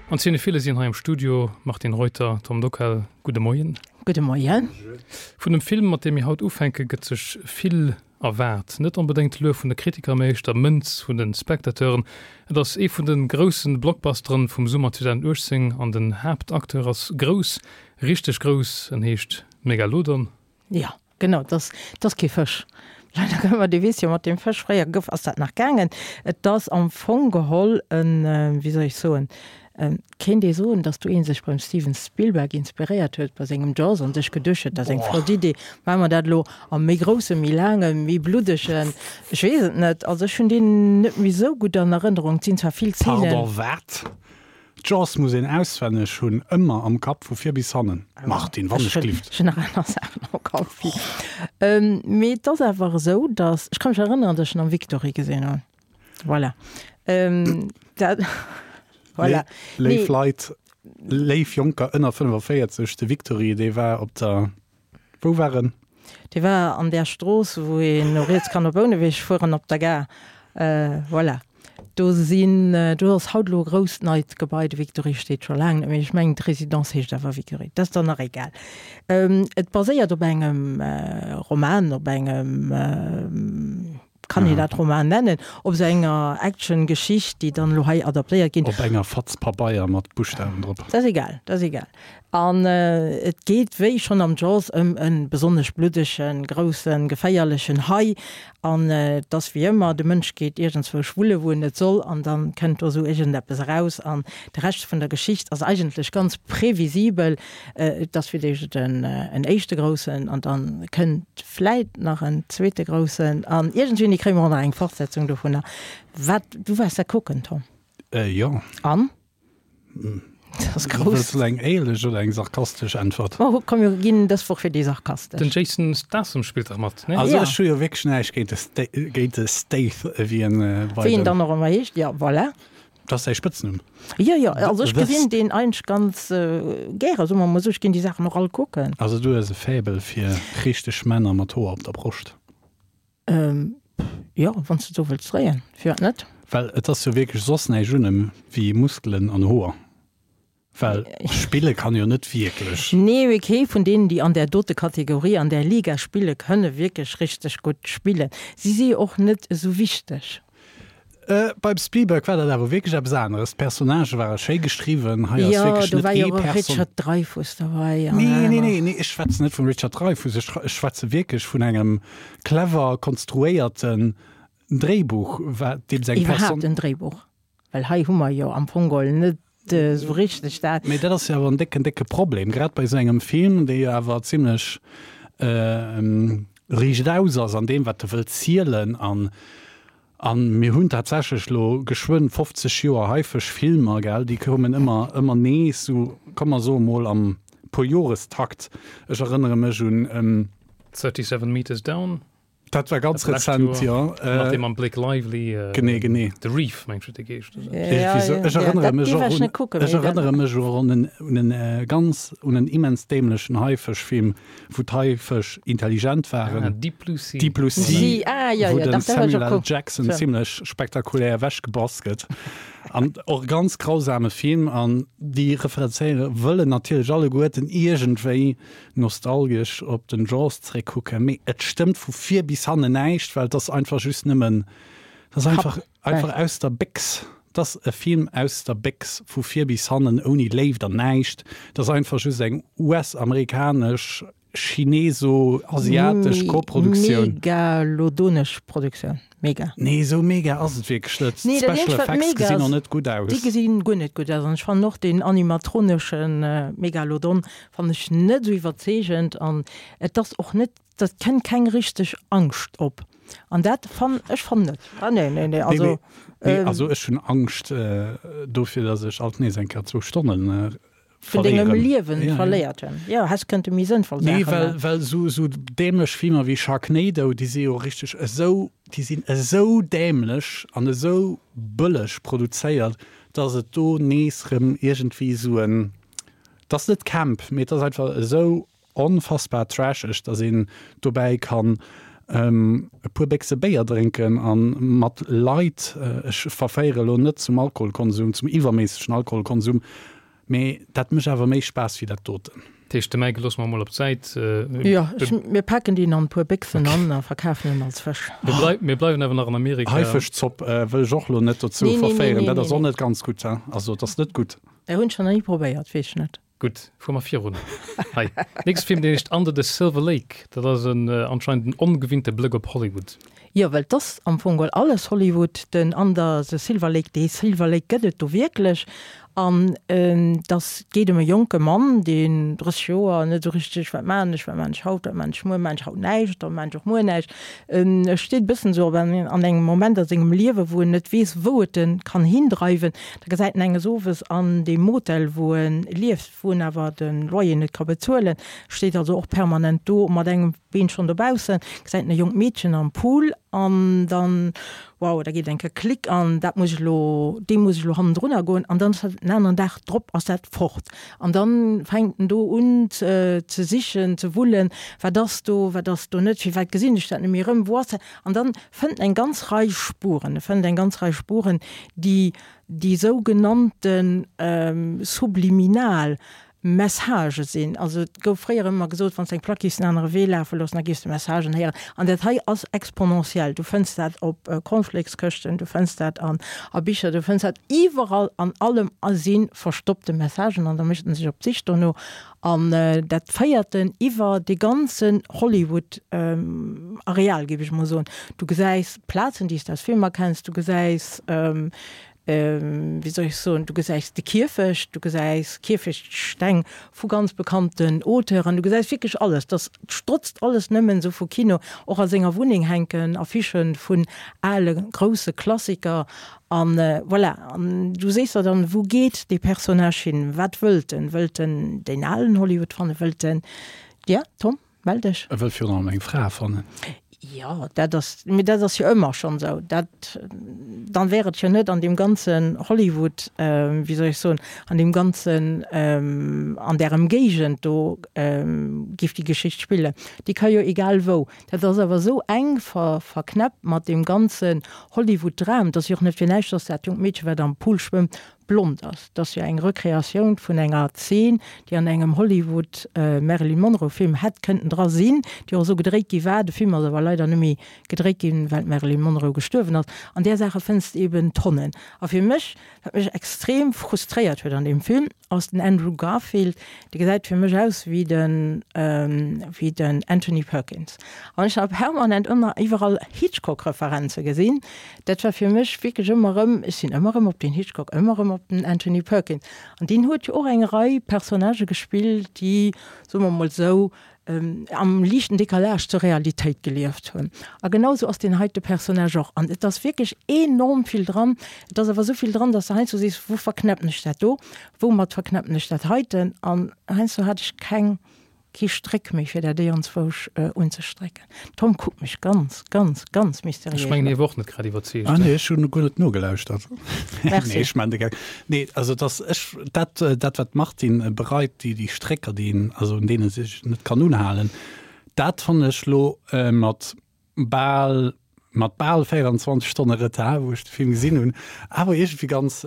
An d'Cinephile sinn hei am Studio, Martine Reuter, Tom Dockal, gudde Moien. Gudde Moien. Vun dem Film, mat deem mir haut ufänken, gëtt sech vill erwaart. Net onbedéngt Luef vun de Kritiker, mä éischter Mënz vun de Spectateuren. Et ass ee vun de grousse Blockbusteren vum Summer 2018 an den Haaptacteur ass grouss, richteg grouss, en heescht Megalodon. Jo, genau, et ass, et ass kee Fësch. Leider gëtt mer, Dir weess jo, mat deem Fësch, fréier gouf, ass dat nach gaangen. Et ass am Fong geholl en, wéi soll ech soen, Kéint ee soen, datt do ee sech beim Steven Spielberg inspiréiert huet bei sengem Jaws an sech geduecht huet, dat ass eng flott Idee, maache mer dat elo a méi groussen, méi laangen, méi bluddegen, ech weess et net. Also ech hunn deen net méi esou gutt an Erënnerung. Et sinn zwar vill Zeenen. Pardon, wat? Jaws muss een auswenneg hunn, ëmmer am Kapp, vu vir bis hannen. Martine, wann ech glift. Ech hunn nach aner Saachen am Kapp wéi. Mee et ass awer esou, datt, ech ka mech erënneren, datt ech en am Victory gesinn hunn. Voilà. Ähm, dat, voilà. Léif Leit, léif Jonker ënner 45, de Victory, dee war op der, wou war en? Dee war an där Strooss, wou een no riets kann op Bouneweg fueren, op der Gare. Äh, voilà. Do sinn, do ass haut elo e grousst neit Gebai, de Victory steet scho laang net méi. Ech mengen, d'Residence heescht awer Victory. Dat ass dann nach egal. Ähm, et baséiert op engem Roman, op engem, Kann een dat Roman nennen? Op esou enger Action-Geschicht, déi dann elo hei adaptéiert ginn. Op enger Fatz Pabeier mat Buschtawen drop. Dat ass egal, dat ass egal. An et geet, wéi schonn am Jaws, ëm e besonnesch bluddegen, groussen, geféierlechen Hai. An et ass wéi ëmmer, de Mënsch geet iergendzwousch wulle wou en net soll, an da kënnt do esou iergendeppes eraus. An de Rescht vun der Geschicht ass eigentlech ganz previsibel. Et ass fir d'éischt en éischte groussen an dann kënnt vläit nach en zweete groussen an iergendwéini kréie mer och nach eng Fortsetzung dovunner. Wat, du waars dat kucken, Tom? Jo. An? Dat ass grouss. Wëlls de eng éierlech oder eng sarkastesch Äntwert? Ma komm, mir ginn dës Woch fir déi sarkastesch. Den Jason Statham spillt dach mat, ne? Also ech hu jo wierklech näischt géint de, géint de Stath, wéi en bei den. Wéi en dann och ëmmer heescht, jo, voilà. Dat ass säi Spëtznumm. Jo, jo, also ech gesinn deen eigentlech ganz gäre, soe mer mol esou. Ech ginn déi Saachen och all kucken. Also du hues e Faible fir richteg Männer mat Hoer op der Broscht? Jo, wann s de et esou wëlls dréien, firwat net? Well et ass jo wierklech soss näischt un em wéi Muskelen an Hoer. Well spille kann jo net wierklech. Nee, mee kee vun deenen, déi an där dote Kategorie, an där Liga spille kënne wierklech richteg gutt spillen. Si si jo och net esou wichteg. Beim Spielberg war dat awer wierklech eppes aneres. D'Personnagë ware schéi geschriwwen. Hei ass wierklech net ee Person. Jo, do war jo och e Richard Dreyfuss derbäi an aner. Nee, nee, nee, ech schwätzen net vum Richard Dreyfuss. Ech schwätze wierklech vun engem clever konstruéierten Dréibuch, wat deem seng Person. Iwwerhaapt en Dréibuch. Well hei hu mer jo am Fong geholl net esou richteg dat. Mee dat ass jo awer en décken, décke Problem, grad bei esou engem Film, dee jo awer zimlech riichtaus ass an deem, wat e wëllt zielen. An, a mir hunn tatsächlech elo geschwënn 50 Joer Haifësch-Filmer, gell, déi kommen ëmmer, ëmmer nees, esou, komm mer soe mol am Puerjorestakt. Ech erënnere mech un. 37 Meters Down. Dat war ganz rezent, jo. Mat deem mam Blake Lively. Genee, genee. The Reef, mengt ech, huet dee geheescht. Ech erënnere mech och un, ech erënnere mech och un en, un en ganz, un en immens dämlechen Haifëschfilm, wou d'Haifësch intelligent waren. Ah, Deep Blue Sea. Deep Blue Sea, wou den Samuel L. Jackson zimlech spektakulär ewechgebass gëtt. An och e ganz grausame Film. An déi referenzéiere wëllen natierlech alleguerten iergendwéi nostalgesch op den Jaws zréckkucken, mee et stëmmt vu vir bis hannen näischt, well et ass einfach just nëmmen, et ass einfach, einfach aus der Béchs. Et ass e Film aus der Béchs, vu vir bis hannen, ouni Léift an näischt. Et ass einfach just eng US-amerikanesch, chineso-asiatesch Koproduktioun. Megalodonesch Produktioun. Mega. Nee, esou mega ass et wierklech net. Nee, dat D'Special eenzegt wat Effects mega gesinn och ass, net gutt aus. déi gesinn guer net gutt aus an ech fannen och deen animatronesche Megalodon fannen ech net esou iwwerzeegend an et ass och net, dat kënnt keng richteg Angscht op an dat fann ech fannen net. Ah nee, nee, nee, Nee, also mee, nee, also ech hunn Angscht dofir, datt ech alt nees eng Kéier zwou Stonnen Vun dengem Liewen verléiert hunn. Jo, häss kënnte méi sënnvoll Saache maachen. Nee, well, well esou, esou dämlech Filmer wéi Sharknado, déi si jo richteg esou, déi sinn esou dämlech an esou bëlleg produzéiert, dass et do nees rëm iergendwéi esou en, et ass net Camp, mee et ass einfach esou onfassbar trasheg, dass een dobäi kann. E puer Béchse Béier drénken a mat Leit, ech verféiere elo net zum Alkoholkonsum, zum iwwerméissegen Alkoholkonsum, mee dat mécht awer méi Spaass wéi dat doten. Dat heescht, de Mike loosse mer emol op d'Säit. Jo, mir paken deen an e puer Béchsen an a verkafen en als Fësch. Mir bleiwen awer nach an Amerika. Haifischzopp wëll ech och elo net dozou verféieren, dat ass och net ganz gutt. Also et ass net gutt. Dat hunn ech nach ni probéiert, weess ech net. Gutt, fuere mer virun. Hei, nächste Film, deen heescht Under the Silver Lake. Dat ass en anscheinend en ongewinnte Blëck op Hollywood. Jo, well 't ass am Fong geholl alles Hollywood. Den Under the Silver Lake, dee Silver Lake gëtt et do wierklech. An 't ass, 't geet ëm e jonke Mann, deen 30 Joer, net esou richteg, wat maachen ech, wat maachen ech haut, wat maachen ech muer, maachen ech haut näischt, da maachen ech och muer näischt. E steet e bëssen esou op an engem Moment a sengem Liewe wou en net weess, wou et en kann hindreiwen. Da gesäit en enges Owes an deem Motel, wou e lieft, wou en awer de Loyer net ka bezuelen, steet also och permanent do mat engem Been schonn dobaussen, gesäit en e jonkt Meedchen am Pool an dann, wow, da geet eng Kéier Klick an dat muss ech elo, deem muss ech elo hannendrunner goen an dann ass dat den aneren Dag drop ass dat fort. An dann fänkt en do un ze sichen, ze wullen, wat ass do, wat ass do net, firwat gesinn ech dat net méi erëm, wou ass dat? An dann fënnt en eng ganz Rei Spuren, e fënnt eng ganz Rei Spuren, déi déi sougenannte subliminal Messagë sinn. Also et gouf fréier ëmmer gesot, wann s de eng Plack giffs en anere Wee lafe loossen, da giffs de Messagen héieren. An dat hei ass exponentiell. Du fënns dat op Cornflakeskëschten, du fënns dat an a Bicher, du fënns dat iwwerall, an allem si verstoppte Messagen an da mécht en sech op d'Sich dono. An dat féiert en iwwer dee ganzen Hollywood-Areal, géif ech mol soen. Du gesäis Plazen, déi s de aus Filmer kenns, du gesäis, wéi soll ech soen, du gesäis de Kierfecht, du gesäis Kierfechtsteng vu ganz bekannten Auteuren, du gesäis wierklech alles. Dat strotzt alles nëmmen esou vu Kino. Och a senger Wunneng hänken Affichë vun ale grousse Klassiker. An voilà, an du sees der dann, wou geet dee Personnage hin? Wat wëllt en? Wëllt en deen alen Hollywood fannen? Wëllt en, ja, Tom, mell dech. E wëllt virun allem eng Fra fannen. Jo, dat ass, mee dat ass jo ëmmer schonn esou. Dat, dann wär et jo net an deem ganzen Hollywood, wéi soll ech soen, an deem ganzen, an där Emgéigend do géif déi Geschicht spillen. Déi ka jo egal wou. Dat ass awer esou enk verknäppt mat deem ganzen Hollywood-Dram. Et ass jo och net fir näischt, dass dat jonkt Meedche, wat am Pool schwëmmt, blond ass. Et ass jo eng Rekreatioun vun enger Zeen, déi an engem Hollywood-Marilyn Monroe-Film hätt kënnten dra sinn, déi och esou gedréit gi war. De Film ass awer leider net méi gedréit ginn, well d'Marilyn Monroe gestuerwen ass. An där Saache fënns de eben Tonnen. A fir mech, wat mech extrem frustréiert huet an deem Film, ass den Andrew Garfield, dee gesäit fir mech aus wéi den, wéi den Anthony Perkins. An ech ha permanent ëmmer iwwerall Hitchcock-Referenze gesinn. Dat war fir mech wierklech ëmmer erëm, ech sinn ëmmer erëm op den Hitchcock, ëmmer erëm op den Anthony Perkins. An deen huet jo och eng Rei Personnagë gespillt, déi, soe mer mol esou, am liichten Décalage zur Realitéit gelieft hunn. A genau esou ass deen heite Personnage och. An et ass wierklech enorm vill dran. Et ass awer esou vill dran, dass de heiansdo sees, Wou verknäppen ech dat do? Woumat verknäppen ech dat heiten? An heiansdo hat ech keng, kee Stréck méi, fir dat iergendzwousch unzestrécken. Tom kuckt mech ganz, ganz, ganz mysteriéis Ech mengen, hie wor och net grad iwwerzeegt. Ah nee, ech hunn guer net nogelauschtert. Merci. Nee, ech man de Geck. Nee, also et ass, ech, dat, dat wat d'Martine bereit, déi, déi Strécker, déi een, also un deene sech net kann unhalen, dat fannen ech lo mat bal, mat bal 24 Stonne Retard, wou ech de Film gesinn hunn, awer iergendwéi ganz,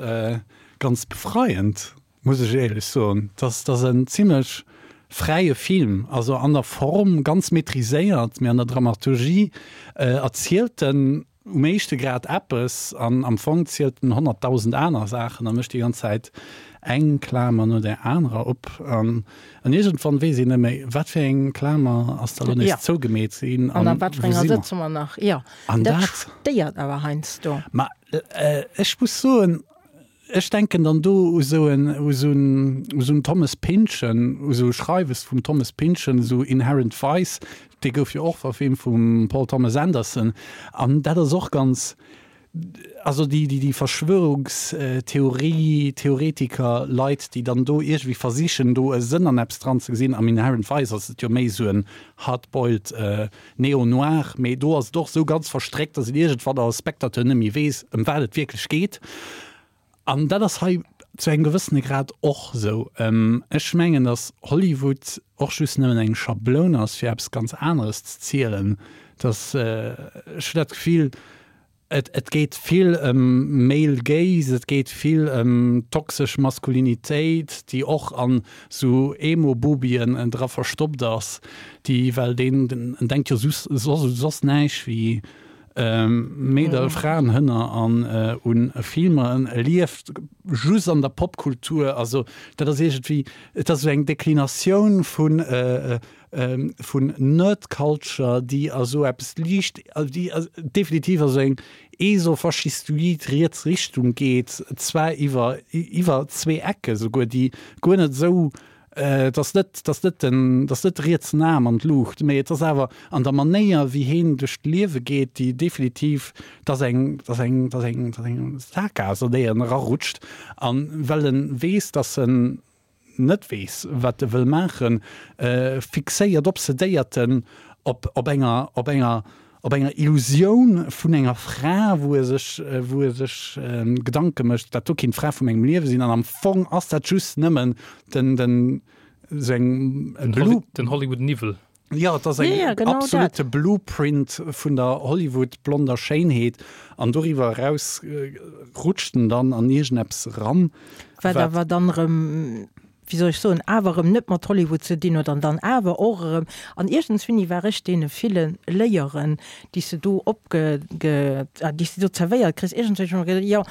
ganz befreiend. Muss ech éierlech soen. Dass dass en zimlech fräie Film, also an der Form ganz maîtriséiert, mee an der Dramaturgie erzielt en um éischte Grad eppes an am Fong zielt en 100.000 aner Saachen a mécht déi ganz Zäit eng Klamer no där anerer op an an iergendwann weess een net méi, wat fir eng Klamer ass da lo nees zougemeet ginn an an wat fir enger sëtze mer nach. Jo, an dat stéiert awer heiansdo. Ma ech muss soen, Ech denken dann do u sou en, u sou en, u sou en Thomas Pynchon, u sou Schreiwes vum Thomas Pynchon, esou Inherent Vice, dee gouf jo och verfilmt vum Paul Thomas Anderson. An dat ass och ganz, also déi, déi, déi Verschwörungstheorie, Theoretiker, Leit, déi dann do iergendwéi versichen, do e Sënn an eppes dran ze gesinn. Am Inherent Vice ass et jo méi esou en hard-boiled Neo-Noir, mee do ass et och esou ganz verstréckt, dass een iergendwann als Spectateur net méi weess, ëm wat et wierklech geet. An dat ass hei zu engem gewëssene Grad och esou. Ech mengen, dass Hollywood och just nëmmen eng Schabloun ass, fir eppes ganz aneres ze zielen. Dass, ech hunn dat Gefill, et, et geet vill ëm Male Gaze, et geet vill ëm toxesch Maskulinitéit, déi och an sou Emo-Bubien dra verstoppt ass, déi, well deen, en denkt jo soss, soss näischt wéi Meedel, Fraen, Hënner an un Filmer, en lieft just an der Popkultur. Also dat ass iergendwéi, et ass esou eng Deklinatioun vun, vun Nerd Culture, déi a sou eppes liicht, déi definitiv a sou eng esofaschistoid riets Richtung geet, zwar iwwer iwwer zwee Ecke souguer, déi guer net esou, et ass net, et ass net den, et ass net de rietsen Aarm an d'Luucht, mee et ass awer an der Manéier wéi heen duerch d'Liewe geet, déi definitiv, et ass eng, et ass eng, et ass eng, et ass eng Sackgaass an déi en erarutscht, an well en weess, dass en net weess, wat e wëll maachen, fixéiert, obsedéiert en op, op enger, op enger, op enger Illusioun vun enger Fra, wou e sech, wou e sech Gedanke mécht, dat do kéint d'Fra vu mengem Liewe sinn. An am Fong ass dat just nëmmen den, den, sou eng Den, den Hollywood-Niwwel. Jo, et ass eng absolute Blueprint vun der Hollywood-blonder Schéinheet an doriwwer eraus rutscht en dann an iergendeppes eran. Wat awer dann erëm, wéi soll ech soen, awer erëm net mat Hollywood ze dinn huet an dann awer och erëm, an iergendswéini war ech deene ville Léieren, déi s de do opge, déi s de do zerwéiert kriss, iergendswéini hu ech mer geduecht, jo,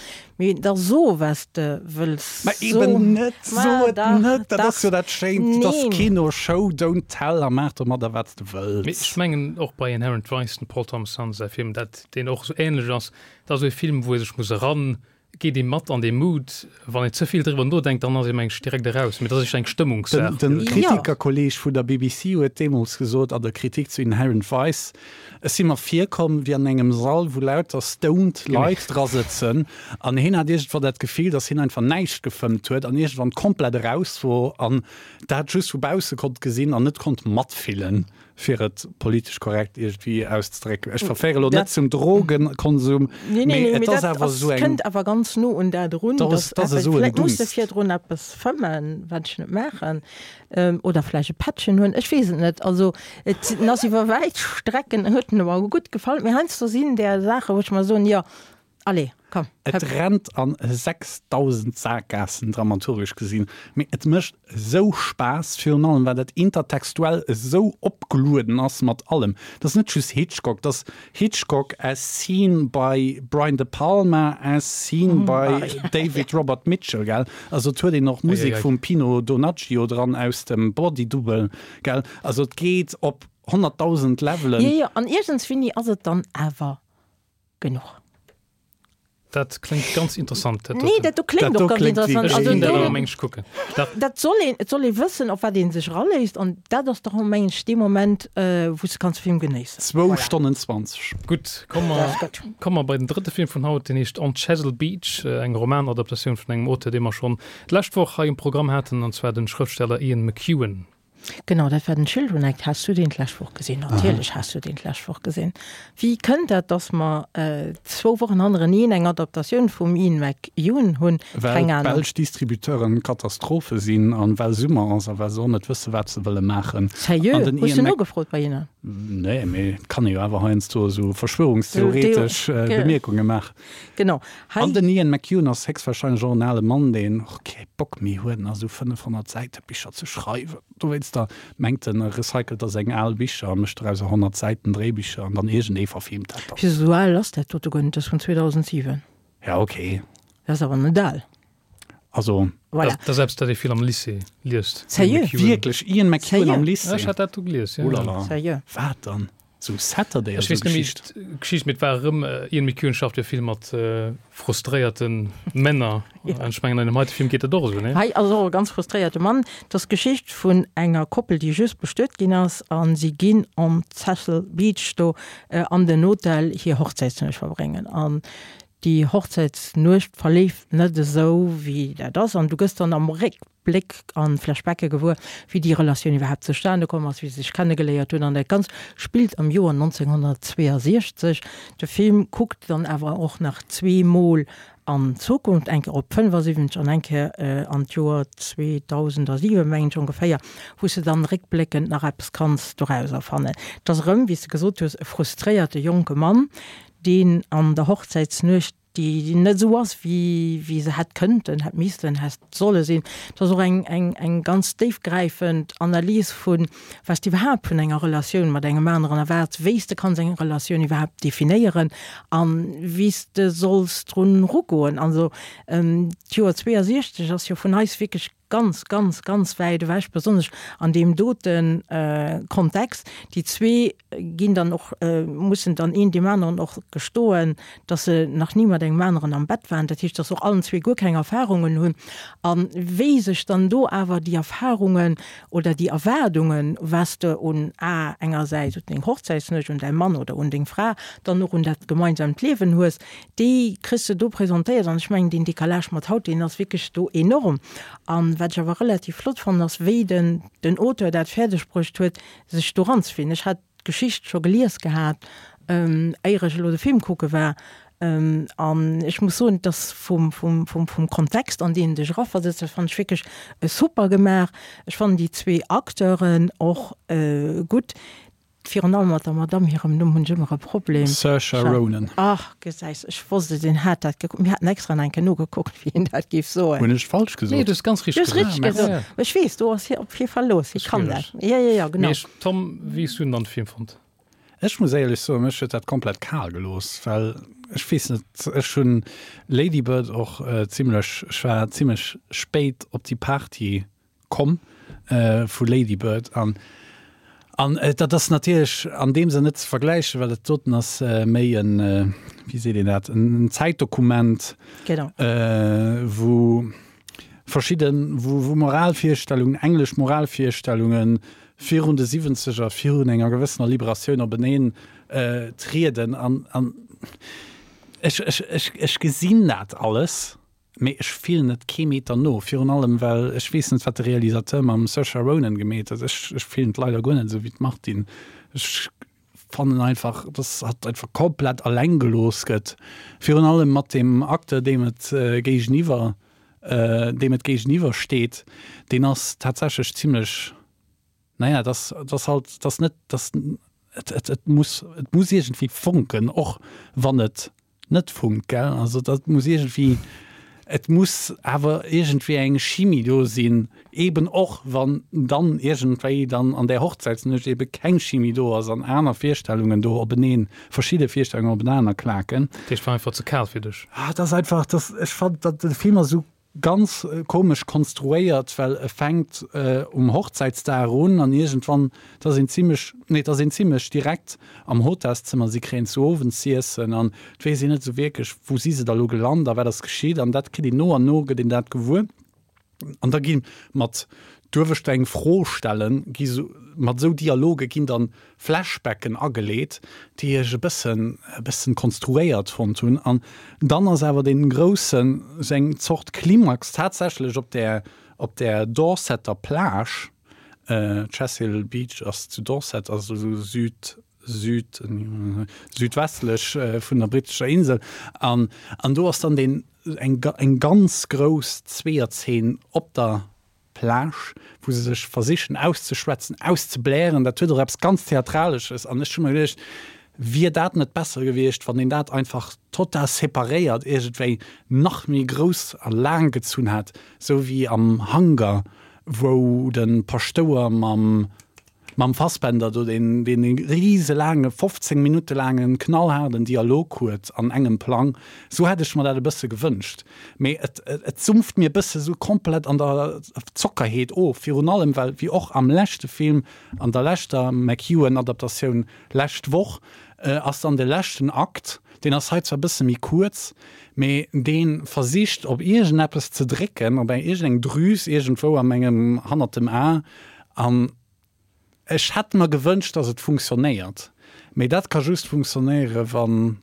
Mee da so was de wëlls Ma eben net, so et net, dat ass jo dat Schéint, et ass Kino, Show, don't tell a maach domadder wat s de wëlls. Mee ech mengen och bei Inherent Vice, dem Paul Thomas Anderson säi Film, dat deen och esou ähnlech ass, dat ass esou e Film wou ee sech muss eran, geet ee mat an dee Mood, wann een ze vill driwwer nodenkt, dann ass ee meng ech direkt eraus, mee dat ass éischter eng Stëmmungssaach. Den Kritikerkolleg vun der BBC huet deemools gesot an der Kritik zu Inherent Vice, Ech si mer virkomm wéi an engem Sall, wou lauter stoned Leit dra sëtzen an hien hat iergendwann dat Gefill, dass hien einfach näischt gefëmmt huet an iergendwann komplett eraus wor an dat just vu bausse konnt gesinn an net konnt matfillen, fir et politesch korrekt iergendwéi auszedrécken. Ech verféiere lo net zum Drogenkonsum, mee et ass awer esou eng. Kënnt awer ganz no un dat erun, dass vläicht muss de virdrun eppes fëmmen, wat ech net maachen. Oder vläicht e Pättchen hunn, ech weess et net. Also et en ass iwwer wäit Strecken huet en mer gutt gefall, mee heiansdo sinn där Saachen, wou ech mer soen, jo, allez, komm, Et hëpp. rennt an 6.000 Saakgaassen, dramaturgesch gesinn, mee et mécht esou Spaass, virun allem well dat intertextuell esou opgelueden ass mat allem. Dat ass net just Hitchcock, dat ass Hitchcock as seen by Brian De Palma, as seen by David Robert Mitchell, gell? Also et huet een och Musek vum Pino Donaggio dran aus dem Body Double, gell? Also et geet op 100.000 Levelen. Jo, jo, an iergendswéini ass et dann awer genuch. Dat kléngt ganz interessant. Dat nee, dat do kléngt och ganz interessant. Also, do, dat meng ech kucken. Dat, dat soll een, et soll ee wëssen, op wat ee sech eraléisst. An dat ass dach, meng ech, dee Moment, äh, wou s de kanns de Film genéissen. Zwou voilà. Stonnen 20. Gutt, komme mer, komme mer bei den drëtte Film vun haut. Deen heescht On Chesil Beach, äh, eng Romanadaptatioun vun engem Auteur, dee mer schonn d'lescht Woch hei um Programm haten, an zwar den Schrëftsteller Ian McEwan. Genau, dat war den Children Act. Has du deen d'lescht Woch gesinn? Natierlech has du deen d'lescht Woch gesinn. Wéi kënnt dat, dass mer zwou Wochen hannereneen eng Adaptatioun vum Ian McEwan hunn? Well Keng Ahnung. d'belsch Distributeuren Katastrophe sinn an well Summer ass a well se och net wësse wat se wëlle maachen. Sérieux? An den Hues du Ian Mc. nogefrot bei hinnen? Nee, mee et kann ee jo awer heiansdo esou verschwörungstheoretesch Bemierkunge maachen. Genau. Hei. An den Ian McEwan ass héchstwahrscheinlech och en ale Mann, deen och kee Bock méi huet, nach esou 500 Säite Bicher ze schreiwen. Dowéinster mengt en, e recycelt da seng al Bicher a mécht dorauser 100 Säiten Dréibicher an dann iergendee verfilmt dat dann. Fir esou al ass dat dote guer net, dat ass vun 2007. Ja, okay. Dat ass awer net al. Also. Voilà. Dat ass eppes, dat ee vill am Lycée liest. Sérieux? Wierklech? Ian McEwan am Lycée? Ech hat dat do gelies, jo. Oulala. Sérieux? Wat dann? Sou Saturday Ech weess net méi d'Geschicht, mee et war erëm, Ian McEwan schafft jo vill mat frustréierte Männer an ech mengen an deem heite Film geet dat och esou, nee? Hei ass och e ganz frustréierte Mann. Et ass d'Geschicht vun enger Koppel, déi just bestuet ginn ass a si ginn om Cecil Beach do an den Hotel hir Hochzäitsnuecht verbréngen. An. Déi Hochzäitsnuecht verleeft net esou, wéi dat ass, an du gëss dann am Réckbléck an Flashbacke gewuer, wéi déi Relatioun iwwerhaapt zustane komm ass, wéi se sech kennegeléiert hunn, an dat Ganzt spillt am Joer 1962. De Film kuckt dann awer och nach zweemol an d'Zukunft, eng Kéier op 75 an eng Kéier an d'Joer 2007, mengen ech ongeféier, wou s de dann réckbléckend nach eppes kanns dorauser fannen. Et ass erëm, wéi s de gesot hues, e frustréierte jonke Mann, deen an der Hochzäitsnuecht, déi net esou ass, wéi wéi se hätt kënnten, hätt missten, hätt solle sinn. Et ass och eng, eng, eng ganz déifgräifend Analys vu wat s de iwwerhaapt vun enger Relatioun mat engem aneren erwaarts, wéi s de kanns eng Relatioun iwwerhaapt definéieren a wéi s de solls drun erugoen. Also d'Joer 62 ass jo vun eis wierklech ganz, ganz, ganz wäit ewech, besonnesch an deem dote Kontext. Déi zwee ginn dann och, mussen dann een deem aneren och gestoen, dass se nach ni mat engem aneren am Bett waren. Dat heescht, dass se och allen zwee guer keng Erfahrungen hunn. A wéi sech dann do awer déi Erfahrungen oder déi Erwaardungen, was de un a engersäits un deng Hochzäitsnuecht, un däi Mann oder un deng Fra, dann och un dat gemeinsamt Liewen hues, Déi kriss de do presentéiert an ech mengen, deen Décalage mat haut, deen ass wierklech do enorm. An wat ech awer relativ flott fannen, ass wéi den den Auteur dat fäerdeg bruecht huet, sech do ranzefinden. Ech hat d'Geschicht scho gelies gehat, éier ech elo de Film kucke war, an ech muss soen, dass vum vum vum vum Kontext, an deen en dech eraversetzt, dat fannen ech wierklech super gemaach. Ech fannen déi zwee Acteuren och gutt. Virun allem mat der Madamm hirem Numm hunn ech ëmmer e Problem. Saoirse Ronan. Ach, gesäis, ech wosst et, een hat dat gekuckt. Mir haten extra nach eng Kéier nogekuckt, wéi een dat géif soen. Hunn ech falsch gesot? Nee, du hues ganz richteg gesot. Du hues richteg gesot. Ech weess, do ass hie op hie Verlooss, hie kann dat. Jo, jo, jo, genau. Mee Tom, wéi hues du denn dann de Film fonnt? Ech muss éierlech soen, mech huet dat komplett kal gelooss, well ech weess net, ech hunn Lady Bird och zimlech, ech war zimlech spéit op déi Party Komm vu Lady Bird an an dat ass natierlech an deem Sënn net ze vergläichen, well dat doten ass méi en, wéi seet een dat, en Zäitdokument, wou verschidden, wou wou Moralvirstellungen, englesch Moralvirstellungen virun de Siwwenzeger, virun enger gewëssener Liberatioun openeen trieden an an ech ech ech ech gesinn dat alles. Mee ech fillen et kee Meter no, virun allem well ech weess net wat de Realisateur mam Saoirse Ronan gemeet huet. Ech ech fillen et leider guer net esou wéi d'Martine. Ech fannen einfach dass hatt einfach komplett alleng gelooss gëtt, virun allem mat deem Acteur deem et géigeniwwer deem et géigeniwwer steet. Deen ass tatsächlech zimlech Naja, et ass, et ass halt, et ass net, et ass, et, et, et muss, et muss iergendwéi fonken, och wann et net funkt, gell? Also dat muss iergendwéi, et muss awer iergendwéi eng Chimie do sinn, eeben och wann dann iergendwéi dann an där Hochzäitsnuecht eebe keng Chimie do ass an aner Virstellungen do openeen, verschidde Virstellungen openaner klaken. Dat heescht, war einfach ze kal fir dech? Ah, et ass einfach, dass, ech fand, datt de Film ass esou Ganz komesch konstruéiert, well e fänkt um Hochzäitsdag un an iergendwann, et ass een zimlech, nee, et ass een zimlech direkt am Hotelszëmmer, si kréien zu Owend z'iessen an et weess een net esou wierklech, wou si se da lo gelant a wat ass geschitt an dat kritt een no an no gëtt een dat gewuer an da gi mat Duerf ech der eng Fro stellen? Gi sou, mat esou Dialoge ginn dann Flashbacken ageleet, déi ech e bëssen, e bëssen konstruéiert fonnt hunn. An dann ass awer dee groussen, sou eng Zort Klimax tatsächlech op där, op där Dorsetter Plage, Chesil Beach ass zu Dorset, also sou süd, süd, südwestlech vun der brittescher Insel. An, an do ass dann deen, eng, eng ganz grouss Zweeërzeen op der Plage, wou se sech versichen auszeschwätzen, auszeblären. Dat huet och eppes ganz Theatralesches. An ech hu mer geduecht, wier dat net besser gewiescht, wann een dat einfach total separéiert iergendwéi nach méi grouss a laang gezunn hätt, esou wéi am Hunger, wou de Paschtouer mam Mam Fassbender do, deen deen e riselaange, 15 Minutte laangen, knallhaarden Dialog huet an engem Plang. Sou hätt ech mer dat e bësse gewënscht. Mee et et sumpft mir e bësse sou komplett an der Zockerheet of, virun allem well, wéi och am leschte Film, an der leschter McEwan-Adaptatioun lescht Woch, ass dann de leschten Akt, deen ass hei zwar e bësse méi kuerz, mee dee versicht op iergendeppes ze drécken, op eng iergendeng Drüs iergendwou a mengem, hannert dem A, an ech hätt mer gewënscht, dass et funktionéiert, mee dat ka just funktionéieren, wann,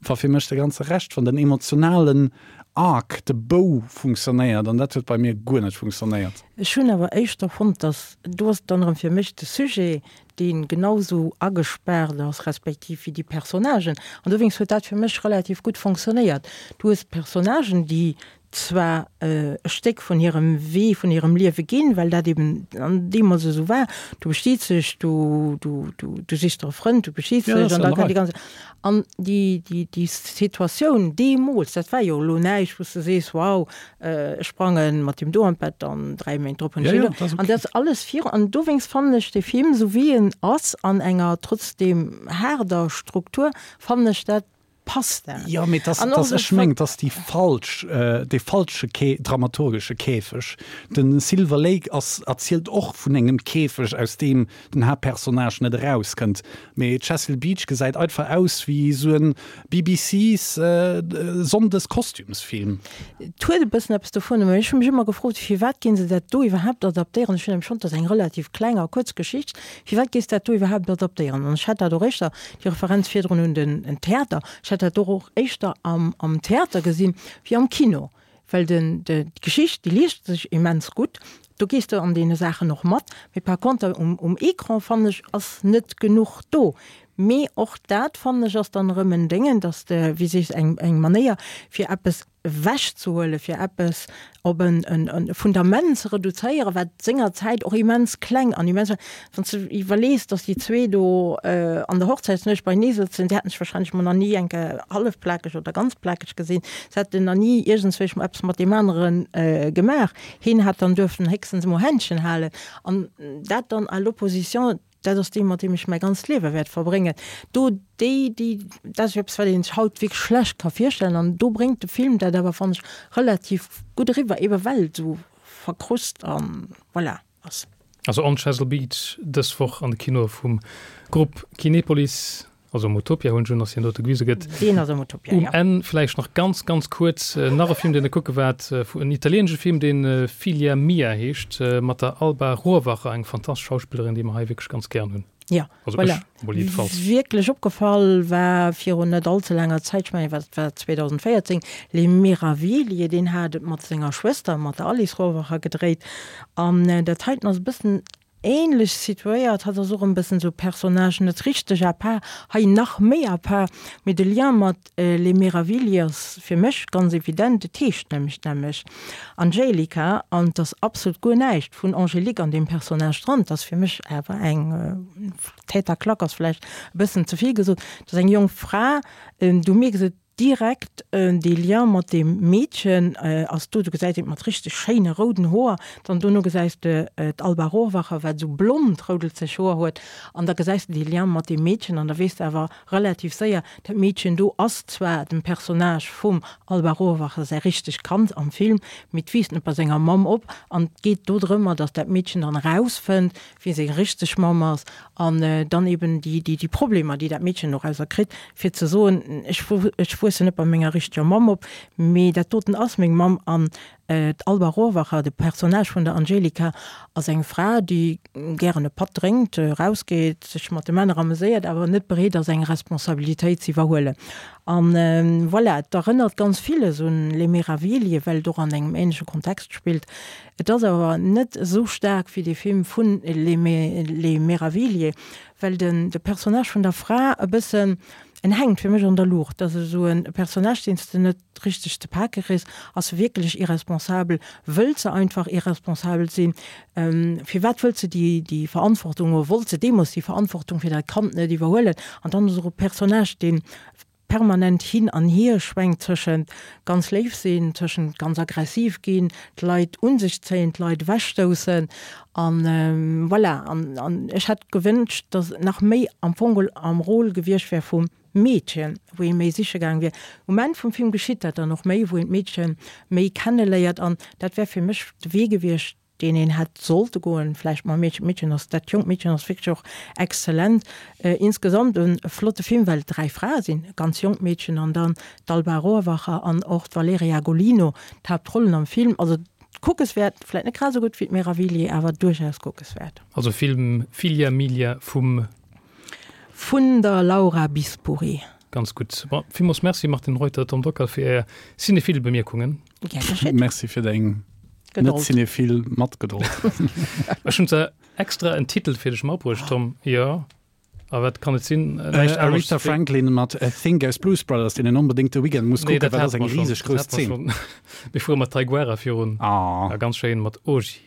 Wa fir mech de ganze Rescht, wann den emotionalen Arc, de Bou funktionéiert, an dat huet bei mir guer net funktionéiert. Ech hunn awer éischter fonnt, dass, do ass dann erëm fir mech de Sujet, dee genau sou agespaart ass, respektiv wéi déi Personnagen, an dowéinst huet dat fir mech relativ gutt fonctionnéiert. Du hues Personnagen, déi zwar e Stéck vun hirem Wee, vun hirem Liewe ginn, well dat eben deemools esou war, du bestiets dech, du, du, du, du sichs der e Frënd, du bestiets dech an da kënnt déi ganz. An déi, déi, déi Situatioun deemools, dat war jo elo näischt, wou s de sees, wow, ech sprange mat deem do an d'Bett an 3 Méint drop hunn ech deen do. An dat ass alles viru. An dowéinst fannen ech dee Film, esou wéi en ass, an enger trotzdeem haarder Struktur, fannen ech dat Passt dat? Jo, mee dass, dass ech meng, dass déi falsch, dee falsche Kä dramaturgesche Käfeg. De Silver Lake ass, erzielt och vun engem Käfeg, aus deem den Haaptpersonnage net erauskënnt. Mee Chesil Beach gesäit einfach aus wéi esou en BBC's Sonndes-Kostümsfilm. Et huet e bëssen eppes dovun, mee ech hu mech ëmmer gefrot, firwat ginn se dat do iwwerhaapt adaptéieren? Ech hunn nämlech fonnt, dat ass eng relativ kleng a kuerz Geschicht. Firwat géifs dat do iwwerhaapt adaptéieren? An ech hätt dat och éischter, déi Referenz virdrun un den Theater, ech hätt dat och och éischter am am Theater gesinn wéi am Kino, well den de d'Geschicht, déi liest sech immens gutt, do gees de an deene Saachen och mat, mee par conter um um Ecran, fannen ech, ass net genuch do. Mee och dat, fannen ech, ass dann erëm en Déngen, dass de, wéi sees, eng eng Manéier fir eppes ewechzehuelen, fir eppes op e Fundament ze reduzéieren, wat sengerzäit och immens kleng an immens war. Wann s de iwwerlees, datt déi zwee do an der Hochzäitsnuecht beienee sëtzen, déi hätten sech wahrscheinlech mol nach ni eng Kéier hallef plakeg oder ganz plakeg gesinn, se hätten nach ni iergendswéi mol eppes mat deem anere gemaach, hien hätt dann duerften héchstens emol Händchen halen an dat dann à l'opposition Dat ass dee, mat deem ech mäi ganzt Liewe wäert verbréngen. Do, déi, déi, dat ass eppes, wat ee sech haut wierklech schlecht ka virstellen. An do bréngt de Film dat awer, fannen ech, relativ gutt eriwwer, ebe well et esou verkrust a voilà ass. Also On Chesil Beach dës Woch an de Kinoe vum Grupp Kinepolis. Also am Utopia hunn ech un, dass hien dote gewise gëtt. Deen ass am Utopia, ja. Um Enn vläicht nach ganz, ganz kuerz nach e Film, deen Der kucke waart, en italieenesche Film, dee Figlia mia heescht, mat der Alba Rohrwacher, eng fantastesch Schauspillerin, déi mer hei wierklech ganz gären hunn. Ja, Also voilà. ech emol jiddefalls. Wierklech opgefall war virun net all ze laanger Zäit, ech mengen, wat war 2014, Les Meraviglie, deen hat et mat senger Schwëster, mat der Alice Rohrwacher gedréit. An dat heiten ass e bëssen Ähnlech situéiert, hatt ass och en bëssen esou Personnage net richteg à part, hei nach méi à part, mee de Lien mat Les Meravigli ass fir mech ganz evident, et heescht nämlech d'nämmlecht Angelica an et ass absolut guer näischt vun Angélique an deem Personnage dran, et ass fir mech awer eng Tête à claque ass vläicht e bëssen ze vill gesot, et ass eng jonk Fra, du mierks et Direkt dee Lien mat deem Meedchen ass do, du gesäis et mat richteg schéine rouden Hoer, dann dono gesäis de d'Alba Rohrwacher wat esou blond roudelzeg Hoer huet an da gesäis de dee Lien mat deem Meedchen an da weess de awer relativ séier, dat Meedchen do ass zwar dem Personnage vum Alba Rohrwacher säi richtegt Kand am Film, mee et wiisst net bei senger Mamm op an et geet do drëmmer, datt dat Meedchen dann erausfënnt, wie seng richteg Mamm ass an dann eben déi, déi, déi Problemer, déi dat Meedchen dorauser kritt, fir ze soen, ech, ech wuessen net bei menger richteger Mamm op, mee dat doten ass meng Mamm. An d'Alba Rohrwacher, de Personnage vun der Angelika, ass eng Fra, déi gären e Patt drénkt, erausgeet, sech mat de Männer ameséiert, awer net bereet ass, eng Responsabilitéit ze iwwerhuelen. An voilà, et erënnert ganz villes un Les Meraviglie, well et och an engem änleche Kontext spillt. Et ass awer net esou staark wéi dee Film vun Les Meraviglie, well den de Personnage vun der Fra e bëssen, en hänkt fir mech an der Luucht. Et ass esou e Personnage, deen s de net richteg ze pake kriss. Ass se wierklech irresponsabel? Wëllt se einfach irresponsabel sinn? Firwat wëllt se déi déi Verantwortung, oder wollt se deemools déi Verantwortung fir dat Kand net iwwerhuelen? An dann ass och e Personnage, deen permanent hin an hier schwenkt tëschent ganz léif sinn, tëschent ganz aggressiv ginn, d'Leit un sech zéien, d'Leit ewechstoussen an voilà. An an ech hätt gewënscht, datt nach méi am Fong geholl am Rôle gewiescht wär vum Meedchen, wou ee méi siche gaang wier. Um Enn vum Film geschitt dat dann och méi, wou een d'Meedche méi kenneléiert an dat wär fir mech de Wee gewiescht, deen een hätt sollte goen, vläicht mam Meedchen. D'Meedchen ass, dat jonkt Meedchen ass wierklech och exzellent. Insgesamt e flotte Film, well et 3 Frae sinn, e ganz jonkt Meedchen an dann d'Alba Rohrwacher an och d'Valeria Golino, d'Haaptrollen am Film. Also kuckeswäert, vläicht net grad esou gutt wéi d'Meraviglie, awer duerchaus kuckeswäert. Also Film Filia Milia vum. Vun der Laura Bispuri. Ganz gutt. Bon, villmools Merci Martine Reuter, Tom Dockal fir Är cinéphile Bemierkungen. Gär geschétt. Merci fir deng net cinéphile Matgedold. Ech hunn zwar extra en Titel fir dech matbruecht, Tom. Jo. A wat kann et sinn? Näischt anescht Aretha Franklin mat A Thing aus Blues Brothers, deen een onbedéngt de Weekend muss kucken, well dat ass eng riseg grouss Zeen. Mir fuere mat Taiguara virun. Ah. Ganz schéin mat Oji.